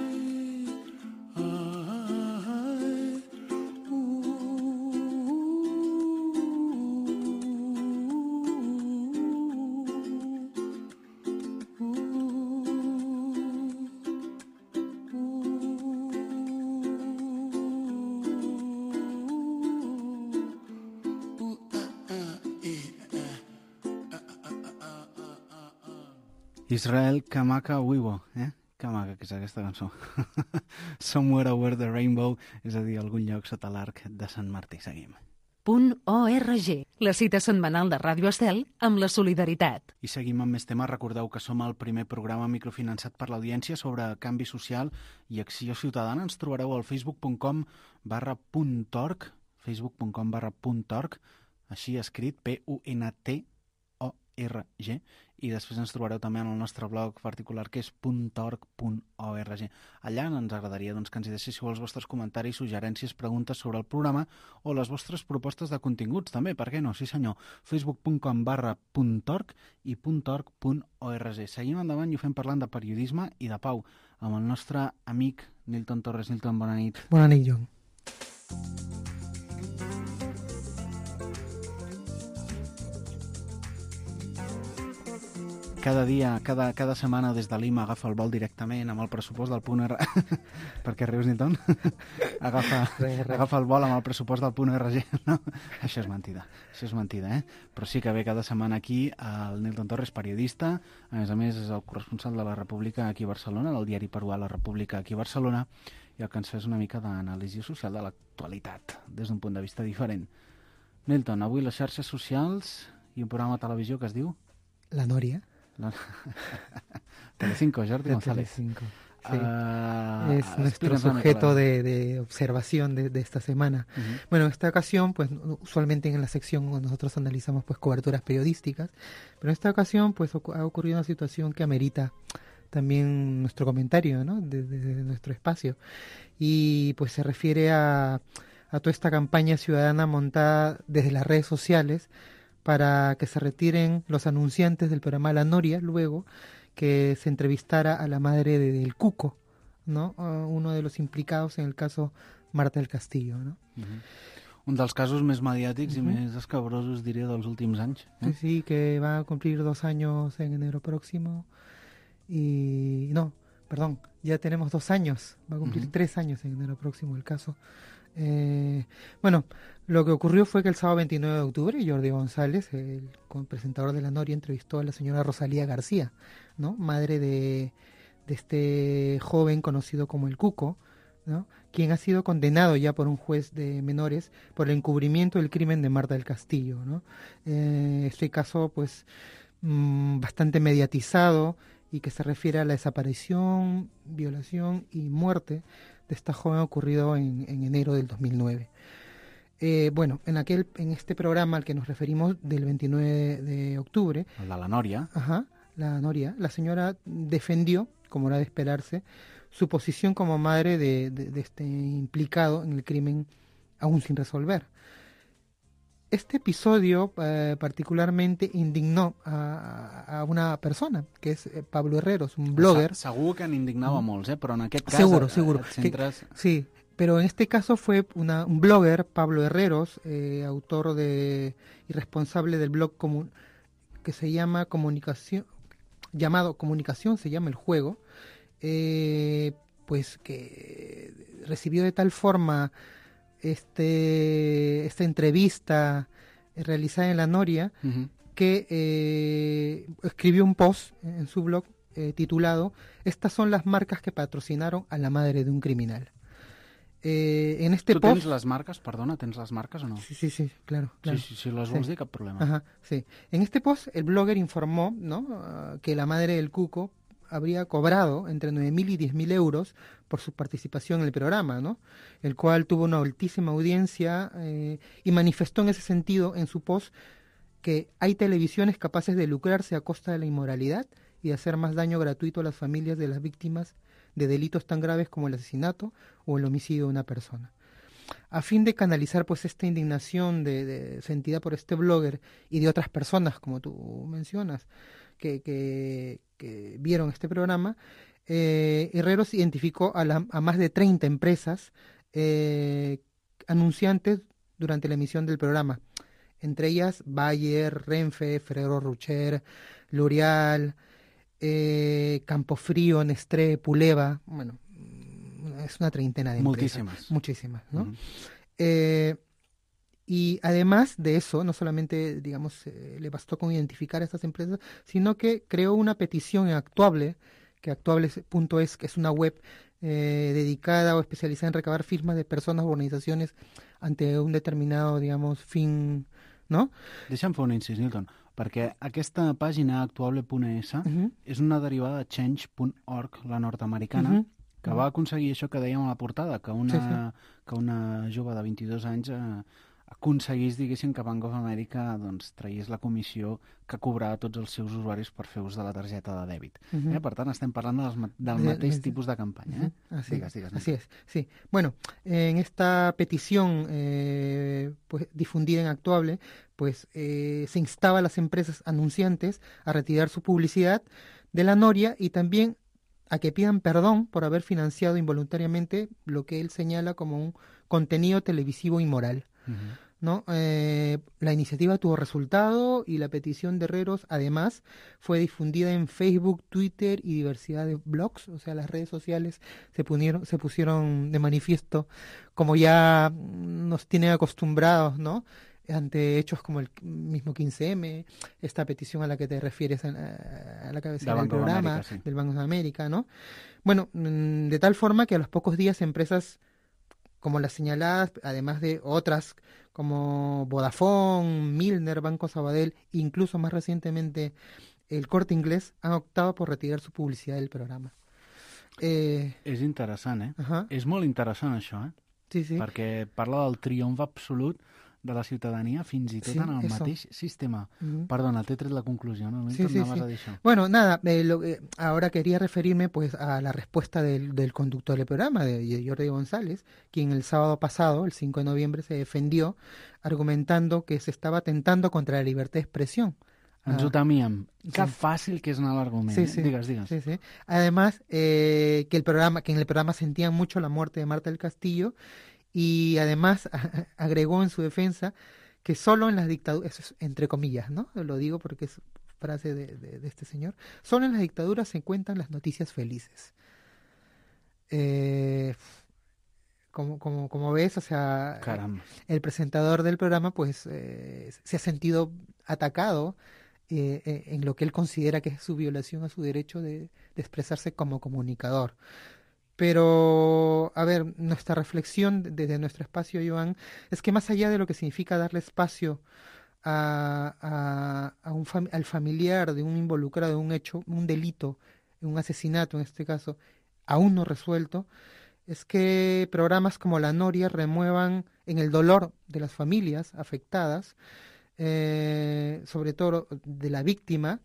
Israel Kamaka Wiwo, eh? Que maca que és aquesta cançó. Somewhere Over the Rainbow, és a dir, algun lloc sota l'arc de Sant Martí. Seguim. Punt .org, la cita setmanal de Ràdio Estel amb la solidaritat. I seguim amb més temes. Recordeu que som el primer programa microfinançat per l'audiència sobre canvi social i acció ciutadana. Ens trobareu al facebook punt com barra puntorg, facebook punt com barra puntorg, així escrit, P U N T O R G, i després ens trobareu també en el nostre blog particular, que és puntorg punt org. Allà ens agradaria doncs, que ens hi deixéssiu els vostres comentaris, suggerències, preguntes sobre el programa o les vostres propostes de continguts també, per què no? Sí senyor, facebook punt com barra puntorg i puntorg punt org. Seguim endavant i ho fem parlant de periodisme i de pau amb el nostre amic Nilton Torres. Nilton, bona nit. Bona nit, John. Cada dia, cada, cada setmana des de Lima agafa el vol directament amb el pressupost del punt R... Per què rius, Nilton? agafa, Re, re. agafa el vol amb el pressupost del punt R G. No? Això és mentida, això és mentida, eh? Però sí que ve cada setmana aquí el Nilton Torres, periodista, a més a més és el corresponsal de la República aquí a Barcelona, del diari peruà La República aquí a Barcelona, i el que ens fa és una mica d'anàlisi social de l'actualitat, des d'un punt de vista diferent. Nilton, avui les xarxes socials i un programa de televisió que es diu... La Noria. La... Telecinco, Jordi González. Telecinco, sí. Uh, es nuestro sujeto de, de observación de, de esta semana. Uh-huh. Bueno, en esta ocasión, pues usualmente en la sección nosotros analizamos pues coberturas periodísticas, pero en esta ocasión pues ha ocurrido una situación que amerita también nuestro comentario, ¿no? Desde de, de nuestro espacio. Y pues se refiere a, a toda esta campaña ciudadana montada desde las redes sociales para que se retiren los anunciantes del programa La Noria, luego que se entrevistara a la madre de, del Cuco, ¿no? Uh, uno de los implicados en el caso Marta del Castillo, ¿no? Uh-huh. Un dels casos més mediàtics uh-huh. i més escabrosos, diria, dels últims anys. Eh? Sí, sí, que va a cumplir dos años en enero próximo. Y no, perdón, ya tenemos dos años, va a cumplir uh-huh. tres años en enero próximo el caso. Eh, bueno, lo que ocurrió fue que el sábado veintinueve de octubre Jordi González, el presentador de La Noria, entrevistó a la señora Rosalía García, ¿no? Madre de, de este joven conocido como el Cuco, ¿no? Quien ha sido condenado ya por un juez de menores por el encubrimiento del crimen de Marta del Castillo, ¿no? Eh, este caso, pues, mmm, bastante mediatizado y que se refiere a la desaparición, violación y muerte de esta joven ocurrido en, en enero del dos mil nueve. Eh, bueno, en aquel, en este programa al que nos referimos del veintinueve de octubre, El de la Nòria. ajá, la Noria, la señora defendió, como era de esperarse, su posición como madre de, de, de este implicado en el crimen aún sin resolver. Este episodio eh, particularmente indignó a, a una persona, que és eh, Pablo Herreros, un blogger. Se- Segur que n'indignava molts, eh? Però en aquest cas Seguro, et- seguro. et centres... Que- sí, pero en este caso fue una, un blogger, Pablo Herreros, eh, autor de y responsable del blog comun, que se llama Comunicación, llamado Comunicación, se llama el juego, eh, pues que recibió de tal forma este esta entrevista realizada en la Noria, Uh-huh. que eh, escribió un post en su blog eh, titulado "Estas son las marcas que patrocinaron a la madre de un criminal". Eh, en este Tu post... tens les marques? Perdona, tens les marques o no? Sí, sí, sí, claro. claro. Sí, sí, si les vols Sí. dir, cap problema. Ajá, sí. En este post, el blogger informó, ¿no?, uh, que la madre del Cuco habría cobrado entre nueve mil y diez mil euros por su participación en el programa, ¿no?, el cual tuvo una altísima audiencia, eh, y manifestó en ese sentido en su post que hay televisiones capaces de lucrarse a costa de la inmoralidad y de hacer más daño gratuito a las familias de las víctimas de delitos tan graves como el asesinato o el homicidio de una persona. A fin de canalizar pues esta indignación de, de sentida por este blogger y de otras personas, como tú mencionas, que, que, que vieron este programa, eh, Herreros identificó a, la, a más de treinta empresas eh, anunciantes durante la emisión del programa, entre ellas Bayer, Renfe, Ferrero Rocher, L'Oreal, eh, Campofrío, Nestlé, Puleva, bueno, es una treintena de empresas. Moltíssimes. Muchísimas, ¿no? Uh-huh. Eh, y además de eso, no solamente, digamos, eh, le bastó con identificar a estas empresas, sino que creó una petición en Actuable, que actuable punto es, que es una web eh, dedicada o especializada en recabar firmas de personas o organizaciones ante un determinado, digamos, fin, ¿no? Deixa'm fer un incís, Newton, perquè aquesta pàgina actuable punt es Uh-huh. és una derivada de change punt org, la nord-americana, Uh-huh. que va aconseguir això que dèiem a la portada, que una, Sí, sí. que una jove de vint-i-dos anys eh, aconseguís, diguéssim, que Bank of America doncs, tragués la comissió que cobrava tots els seus usuaris per fer ús de la targeta de dèbit. Uh-huh. Eh? Per tant, estem parlant dels, ma- del De- mateix de- tipus de campanya. Eh? Ujú, Así, Digues, digues, así es, sí. Bueno, en esta petición eh, pues, difundida en Actuable, pues eh, se instaba a las empresas anunciantes a retirar su publicidad de la Noria y también a que pidan perdón por haber financiado involuntariamente lo que él señala como un contenido televisivo inmoral, Uh-huh. ¿no? Eh, la iniciativa tuvo resultado y la petición de Herreros además fue difundida en Facebook, Twitter y diversidad de blogs, o sea, las redes sociales se pusieron, se pusieron de manifiesto, como ya nos tienen acostumbrados, ¿no?, ante hechos como el mismo quince eme, esta petición a la que te refieres a, a la cabecera del Banco de programa, América, sí. del Banco de América, ¿no? Bueno, mm, de tal forma que a los pocos días empresas como las señaladas, además de otras como Vodafone, Milner, Banco Sabadell, incluso más recientemente el Corte Inglés, han optado por retirar su publicidad del programa. Eh, És interessant, eh? ajá, És molt interessant, això, eh? sí, sí. Perquè parla del triomf absolut de la ciutadania fins i tot Sí, en el eso. mateix sistema. Ujú. Perdona, t'he tret la conclusió, no? No Sí, sí, tornaves sí. a dir això. Bueno, nada, eh, lo, eh, ahora quería referirme pues a la respuesta del, del conductor del programa, de, de Jordi González, quien el sábado pasado, el cinco de noviembre, se defendió argumentando que se estaba atentando contra la libertad de expresión. Ens Ah, ho temíem. Que sí. fàcil que és anar a l'argument. Sí, eh? sí. Digues, digues. Sí, sí. Además, eh, que el programa, que en el programa sentían mucho la muerte de Marta del Castillo y además agregó en su defensa que solo en las dictaduras, eso es entre comillas, ¿no? Lo digo porque es frase de, de, de este señor, solo en las dictaduras se cuentan las noticias felices. Eh, como, como, como ves, o sea, Caram. el presentador del programa pues eh, se ha sentido atacado eh, eh, en lo que él considera que es su violación a su derecho de, de expresarse como comunicador. Pero, a ver, nuestra reflexión desde nuestro espacio, Joan, es que más allá de lo que significa darle espacio a, a, a un fam- al familiar de un involucrado en un hecho, un delito, un asesinato en este caso, aún no resuelto, es que programas como La Noria remuevan en el dolor de las familias afectadas, eh, sobre todo de la víctima,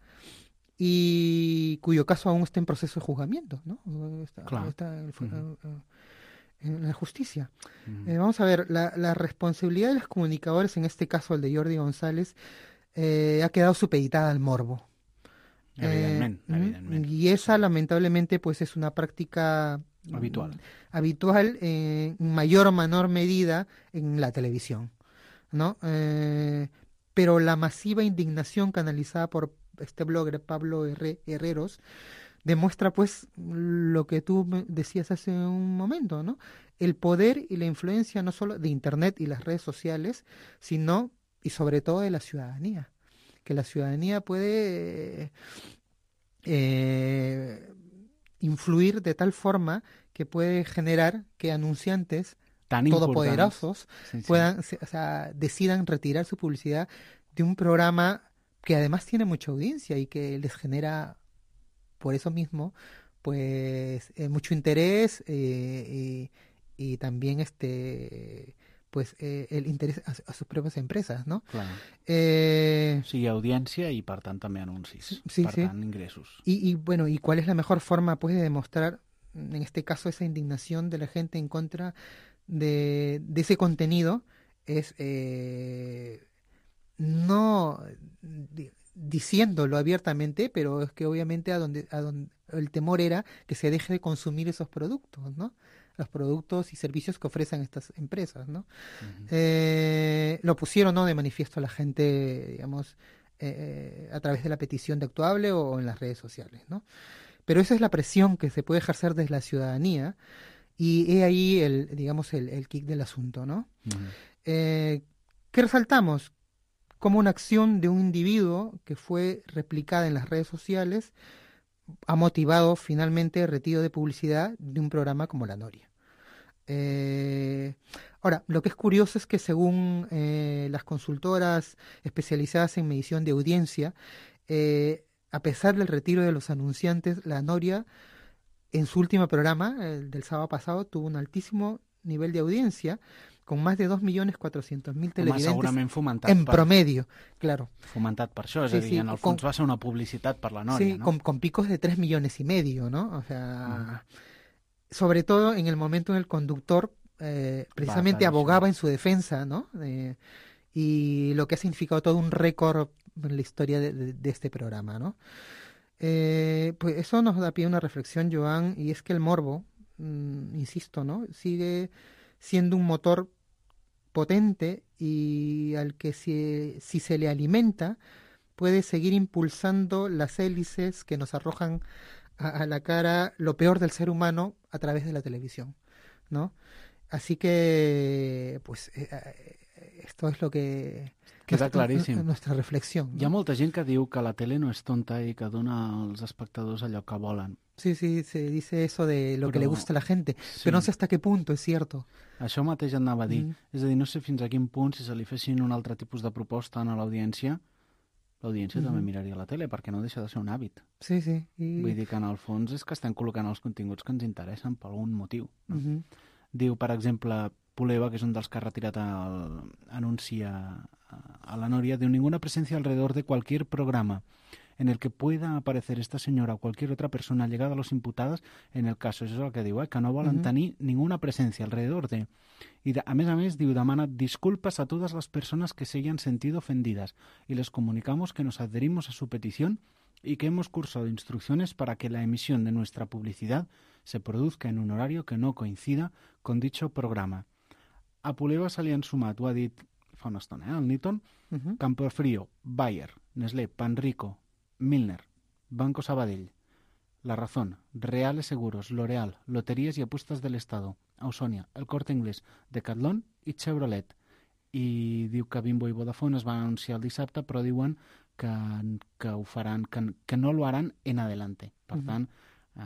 y cuyo caso aún está en proceso de juzgamiento, ¿no? Está, Claro. está en, Ujú. en- en la justicia. Ujú. Eh, vamos a ver, la, la responsabilidad de los comunicadores, en este caso el de Jordi González, eh, ha quedado supeditada al morbo. Evidentment, Eh, evidentment. Y esa, Sí. lamentablemente, pues es una práctica mm, Habitual. habitual eh, en mayor o menor medida en la televisión, ¿no? Eh, pero la masiva indignación canalizada por este blogger Pablo Herre- Herreros demuestra pues lo que tú me decías hace un momento, ¿no? El poder y la influencia no solo de Internet y las redes sociales, sino y sobre todo de la ciudadanía, que la ciudadanía puede eh, influir de tal forma que puede generar que anunciantes Tan todopoderosos importants. Sí, sí. puedan, se- o sea, decidan retirar su publicidad de un programa que además tiene mucha audiencia y que les genera, por eso mismo, pues eh, mucho interés eh, y, y también este pues eh, el interés a, a sus propias empresas, ¿no? Clar. Eh, O sigui, audiència i, per tant, també anuncis. Sí, sí, per sí. tant, ingressos. Y, y bueno, ¿y cuál es la mejor forma pues de demostrar, en este caso, esa indignación de la gente en contra de, de ese contenido? Es eh, no di- diciéndolo abiertamente, pero es que obviamente a donde, a donde el temor era que se deje de consumir esos productos, ¿no? Los productos y servicios que ofrecen estas empresas, ¿no? Ujú. Eh, lo pusieron, ¿no?, de manifiesto a la gente, digamos, eh, a través de la petición de Actuable o en las redes sociales, ¿no? Pero esa es la presión que se puede ejercer desde la ciudadanía y he ahí el, digamos, el, el kick del asunto, ¿no? Ujú. Eh, ¿Qué resaltamos? Como una acción de un individuo que fue replicada en las redes sociales ha motivado finalmente el retiro de publicidad de un programa como La Noria. Eh, ahora, lo que es curioso es que según eh, las consultoras especializadas en medición de audiencia, eh, a pesar del retiro de los anunciantes, La Noria en su último programa, el del sábado pasado, tuvo un altísimo nivel de audiencia, con más de dos millones cuatrocientos mil Home, televidentes segurament fomentat en per, promedio, claro. fomentat per això, és Sí, a dir, sí, en el con- fons va ser una publicitat per la Nòria, Sí, no? con, con picos de tres millones y medio, ¿no? O sea, sobre todo en el momento en el conductor eh, precisamente clarísimo. abogaba en su defensa, ¿no? Eh, y lo que ha significado todo un récord en la historia de, de- de este programa, ¿no? Eh, pues eso nos da pie a una reflexión, Joan, y es que el morbo, mm, insisto, ¿no?, sigue siendo un motor potente y al que si, si se le alimenta puede seguir impulsando las hélices que nos arrojan a, a la cara lo peor del ser humano a través de la televisión, ¿no? Así que, pues, eh, eh, esto es lo que... Queda nuestra- claríssim. Nuestra reflexión, ¿no? Hi ha molta gent que diu que la tele no és tonta i que dona als espectadors allò que volen. Sí, sí, se dice eso de lo que le Però- gusta a la gente, sí. pero no sé hasta qué punto es cierto. Això mateix et anava a dir. Mm. És a dir, no sé fins a quin punt, si se li fessin un altre tipus de proposta a l'audiència, l'audiència Mhm. també miraria la tele, perquè no deixa de ser un hàbit. Sí, sí. y- Vull dir que en el fons és que estem col·locant els continguts que ens interessen per algun motiu. No? Ujú. Diu, per exemple, Puleva, que és un dels que ha retirat el anunci a, a la Noria, diu, ninguna presencia alrededor de cualquier programa en el que pueda aparecer esta señora o cualquier otra persona llegada a los imputados en el caso. Això és el que diu, eh? Que no volen Mhm. tenir ninguna presencia alrededor de... I de, a més a més, diu, demana disculpas a todas las personas que se hayan sentido ofendidas y les comunicamos que nos adherimos a su petición y que hemos cursado instrucciones para que la emisión de nuestra publicidad se produzca en un horario que no coincida con dicho programa. A Puleva se li han sumat, ho ha dit fa una estona, eh? El Newton, Ujú. Campofrío, Bayer, Nestlé, Panrico, Milner, Banco Sabadell, La Razón, Reales Seguros, L'Oreal, Loterías y Apuestas del Estado, Ausonia, El Corte Inglés, Decathlon i Chevrolet. I diu que Bimbo i Vodafone es van anunciar el dissabte, però diuen que, que ho faran, que, que no lo harán en adelante. Per Mhm. tant, eh,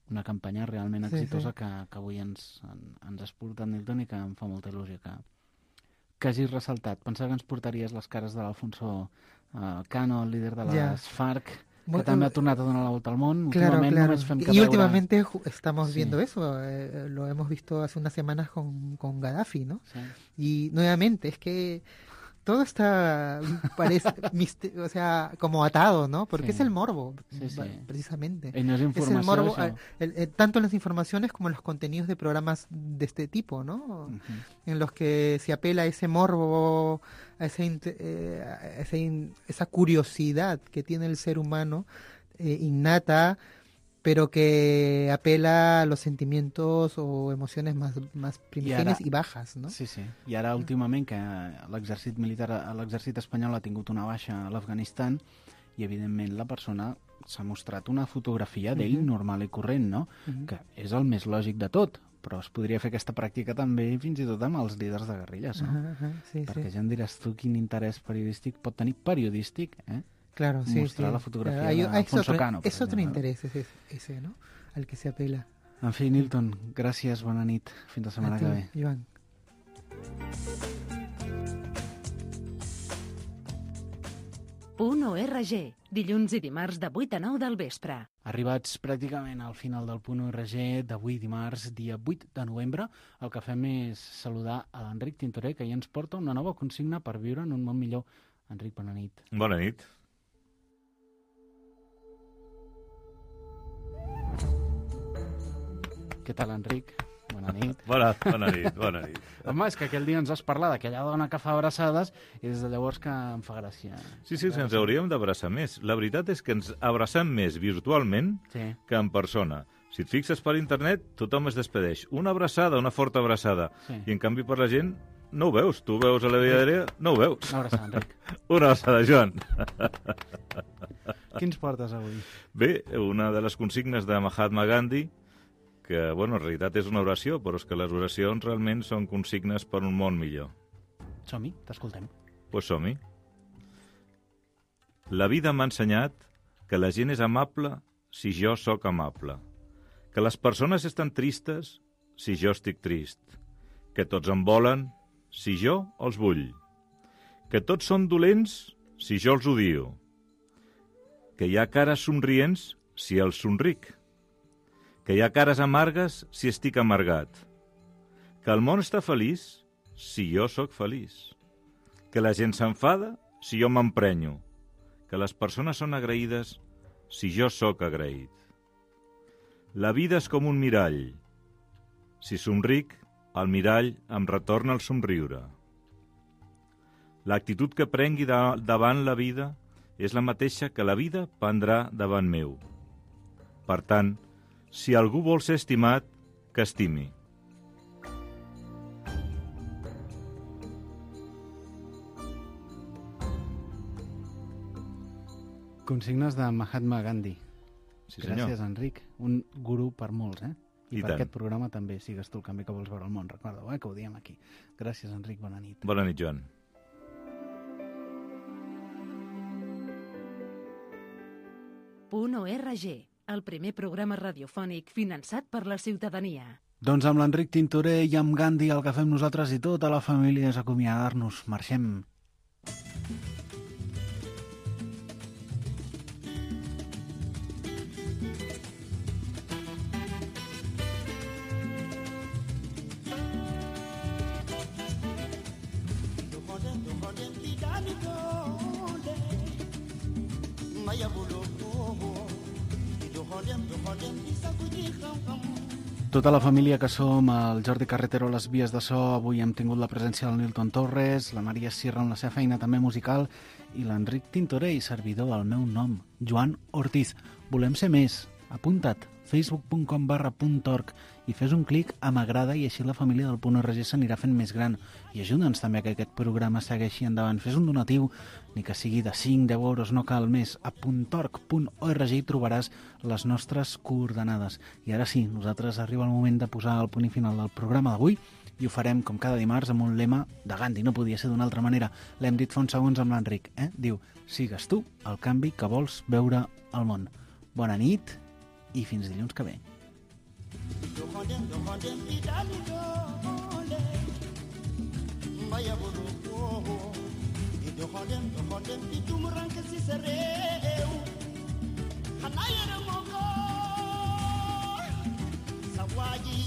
una campanya realment Sí, exitosa sí. Que, que avui ens, en, ens ha exportat Nilton i que em fa molta il·lusió que, que hagis ressaltat. Pensava que ens portaries les cares de l'Alfonso uh, Cano, el líder de les Ya. FARC, que Bueno, també ha tornat a donar la volta al món. Claro, Últimament claro. només fem que Y veure... últimamente ju- estamos Sí. viendo eso, eh, lo hemos visto hace unas semanas con, con Gaddafi, ¿no? Sí. Y nuevamente, es que todo está, parece, miste- o sea, como atado, ¿no? Porque Sí. es el morbo, Sí, sí. va- precisamente. Ell no és Es informació, el morbo, això. eh, el- el- tanto en las informaciones como en los contenidos de programas de este tipo, ¿no? Mhm. En los que se apela a ese morbo, a, ese int- eh, a ese in- esa curiosidad que tiene el ser humano eh, innata, pero que apela a los sentimientos o emociones más, más primigenias y, ara- bajas, ¿no? Sí, sí. I ara, últimament, que l'exèrcit militar, l'exèrcit espanyol ha tingut una baixa a l'Afganistan i, evidentment, la persona s'ha mostrat una fotografia d'ell Mhm. normal i corrent, no? Mhm. Que és el més lògic de tot, però es podria fer aquesta pràctica també fins i tot amb els líders de guerrilles, no? Ajá, ajá, sí, Perquè sí. ja em diràs tu quin interès periodístic pot tenir periodístic, eh? Claro, sí, mostrar sí. la fotografía Claro, hay- de es Alfonso otro, Cano, por es otro ejemplo, ¿no? interés ese, ese, ¿no? Al que se apela. En fi, Nilton, gràcies, bona nit. Fins la setmana A ti, que ve. Iván. Punt O R G, dilluns i dimarts de vuit a nou del vespre. Arribats pràcticament al final del punt O R G d'avui dimarts, dia vuit de novembre, el que fem és saludar a l'Enric Tintoré, que ja ens porta una nova consigna per viure en un món millor. Enric, bona nit. Bona nit. Què tal, Enric? Bona nit. Bona, bona nit, bona nit. Home, és que aquell dia ens has parlat d'aquella dona que fa abraçades i des de llavors que em fa gràcia. Sí, sí, ens hauríem d'abraçar més. La veritat és que ens abracem més virtualment Sí. que en persona. Si et fixes per internet, tothom es despedeix. Una abraçada, una forta abraçada. Sí. I en canvi per la gent no ho veus. Tu ho veus a la via aèria, no ho veus. Una abraçada, Enric. Una abraçada, Joan. Quins portes avui? Bé, una de les consignes de Mahatma Gandhi, que, bueno, en realitat és una oració, però és que les oracions realment són consignes per un món millor. Som-hi, t'escoltem. Doncs pues som-hi. La vida m'ha ensenyat que la gent és amable si jo sóc amable, que les persones estan tristes si jo estic trist, que tots em volen si jo els vull, que tots són dolents si jo els odio, que hi ha cares somrients si els somric, que hi ha cares amargues si estic amargat, que el món està feliç si jo sóc feliç, que la gent s'enfada si jo m'emprenyo, que les persones són agraïdes si jo sóc agraït. La vida és com un mirall. Si somric, el mirall em retorna el somriure. L'actitud que prengui de, davant la vida és la mateixa que la vida prendrà davant meu. Per tant, si algú vol ser estimat, que estimi. Consignes de Mahatma Gandhi. Sí, senyor. Gràcies, Enric. Un gurú per molts, eh? I, I per tant. aquest programa també sigues tu el canvi que vols veure al món. Recorda-ho, eh? Que ho diem aquí. Gràcies, Enric. Bona nit. Bona nit, Joan. Punt O R G, el primer programa radiofònic finançat per la ciutadania. Doncs amb l'Enric Tintoré i amb Gandhi el que fem nosaltres i tota la família és acomiadar-nos. Marxem. Tota la família que som, el Jordi Carretero a les vies de so, avui hem tingut la presència del Nilton Torres, la Maria Sierra en la seva feina també musical i l'Enric Tintoré i servidor al meu nom, Joan Ortiz. Volem ser més. Apunta't, facebook punt com barra punt org i fes un clic a m'agrada i així la família del Punt O R G s'anirà fent més gran. I ajuda'ns també a que aquest programa segueixi endavant. Fes un donatiu, ni que sigui de cinc a deu euros, no cal més. A puntorg punt org hi trobaràs les nostres coordenades. I ara sí, nosaltres arriba el moment de posar el punt i final del programa d'avui i ho farem com cada dimarts amb un lema de Gandhi, no podia ser d'una altra manera. L'hem dit fa uns segons amb l'Enric, eh? Diu, sigues tu el canvi que vols veure al món. Bona nit i fins dilluns que ve. Vaya doxalem doxalem di tumuranke si sa réew xanaa yërëmoo ko sa waa ji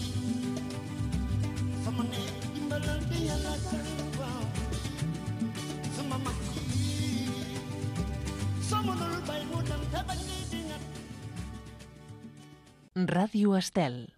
sama ne dimbalante yàlla tax waaw sama mag yi sama nul bay mu dem te bañ di dingat Ràdio Estel,